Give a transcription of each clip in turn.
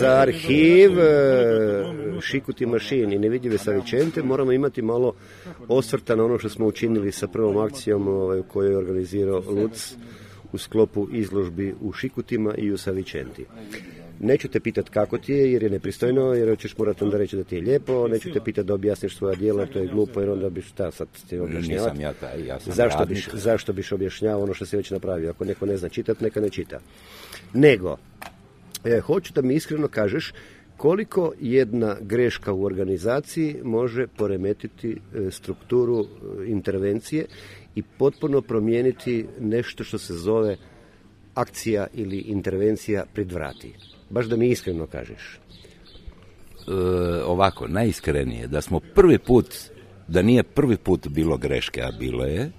Za arhiv Šikuti mašin i nevidljive Savičente moramo imati malo osvrta na ono što smo učinili sa prvom akcijom koju je organizirao Luc u sklopu izložbi u Šikutima i u Savičenti. Neću te pitati kako ti je, jer je nepristojno, jer ćeš morati onda reći da ti je lijepo, neću te pitati da objasniš svoja djela, to je glupo, jer onda biš sad ti objašnjavati. Nisam ja taj, ja sam zašto biš objašnjavao ono što si već napravio? Ako neko ne zna čitati, neka ne čita. Nego, hoću da mi iskreno kažeš koliko jedna greška u organizaciji može poremetiti strukturu intervencije i potpuno promijeniti nešto što se zove akcija ili intervencija pred vrati. Baš da mi iskreno kažeš. Ovako, najiskrenije, da smo prvi put, da nije prvi put bilo greške, a bilo je,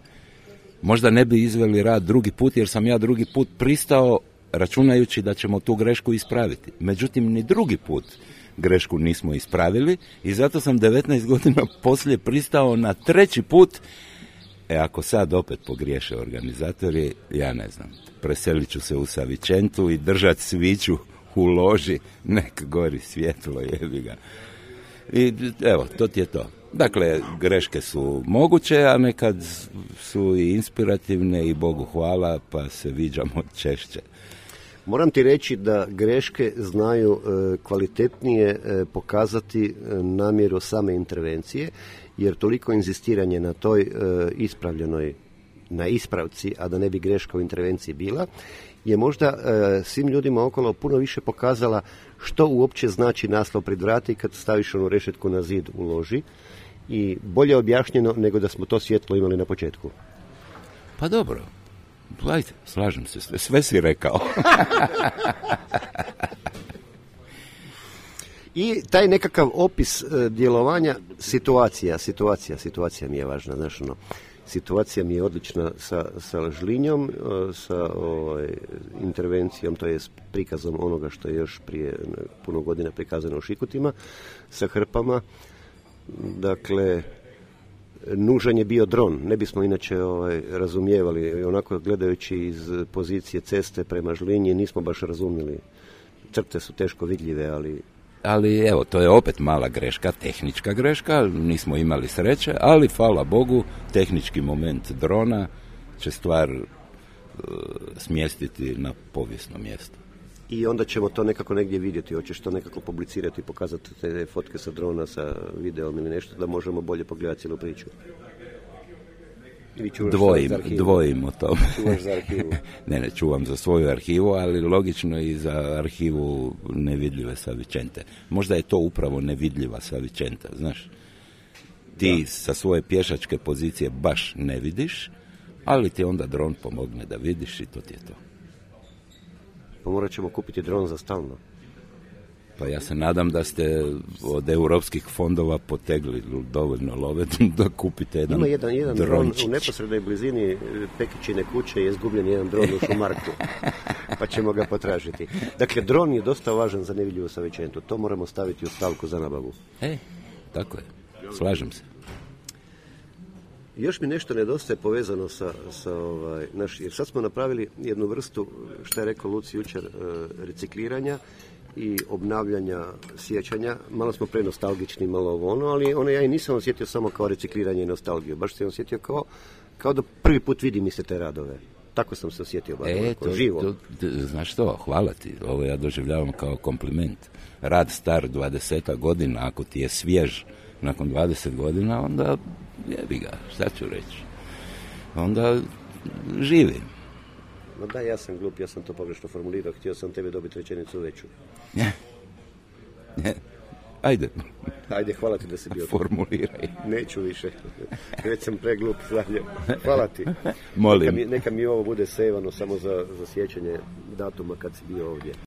možda ne bi izveli rad drugi put, jer sam ja drugi put pristao računajući da ćemo tu grešku ispraviti. Međutim, ni drugi put grešku nismo ispravili i zato sam 19 godina poslije pristao na treći put. Ako sad opet pogriješe organizatori, ja ne znam, preselit ću se u Savičentu i držat sviću u loži, nek gori svjetlo, jebi ga. I evo, to ti je to. Dakle, greške su moguće, a nekad su i inspirativne i Bogu hvala, pa se viđamo češće. Moram ti reći da greške znaju kvalitetnije pokazati namjeru same intervencije, jer toliko inzistiranje na toj ispravljenoj, na ispravci, a da ne bi greška u intervenciji bila, je možda svim ljudima okolo puno više pokazala što uopće znači naslov pred vrati kad staviš onu rešetku na zid u loži i bolje objašnjeno nego da smo to svjetlo imali na početku. Pa dobro, ajde, slažem se, sve si rekao. I taj nekakav opis djelovanja, situacija mi je važna, znaš ono, situacija mi je odlična sa Žlinjom, sa intervencijom, to je s prikazom onoga što je još prije puno godina prikazano u Šikutima, sa hrpama. Dakle, nužan je bio dron, ne bismo inače razumijevali, onako gledajući iz pozicije ceste prema Žlinji nismo baš razumjeli. Crte su teško vidljive, ali evo, to je opet mala greška, tehnička greška, nismo imali sreće, ali hvala Bogu, tehnički moment drona će stvar smjestiti na povijesno mjesto. I onda ćemo to nekako negdje vidjeti, hoćeš to nekako publicirati, pokazati te fotke sa drona, sa videom ili nešto, da možemo bolje pogledati cijelu priču. Dvojim o tome. Čuvaš za arhivu? Ne, čuvam za svoju arhivu, ali logično i za arhivu nevidljive Savičente. Možda je to upravo nevidljiva Savičenta, znaš. Ti sa svoje pješačke pozicije baš ne vidiš, ali ti onda dron pomogne da vidiš i to ti je to. Pa morat ćemo kupiti dron za stalno. Pa ja se nadam da ste od europskih fondova potegli dovoljno love da kupite jedan drončić. Ima jedan dron u neposrednoj blizini Pekićine kuće je izgubljen jedan dron u Šumarku, pa ćemo ga potražiti. Dakle, dron je dosta važan za nevidljivu Savičentu, to moramo staviti u stavku za nabavu. Tako je, slažem se. Još mi nešto nedostaje povezano jer sad smo napravili jednu vrstu, što je rekao Luci jučer, recikliranja i obnavljanja sjećanja. Malo smo prenostalgični, malo ali ja i nisam osjetio samo kao recikliranje i nostalgiju. Baš sam osjetio kao da prvi put vidim iste te radove. Tako sam se osjetio, živo. Znaš što, hvala ti. Ovo ja doživljavam kao kompliment. Rad star 20 godina, ako ti je svjež nakon 20 godina, onda jebi ga, šta ću reći. Onda živim. No da, ja sam glup, ja sam to pogrešno formulirao, htio sam tebi dobiti rečenicu veću. Ajde, hvala ti da si bio. Formuliraj. Neću više, već sam preglup. Hvala ti. Molim. Neka mi ovo bude sejvano samo za sjećanje datuma kad si bio ovdje.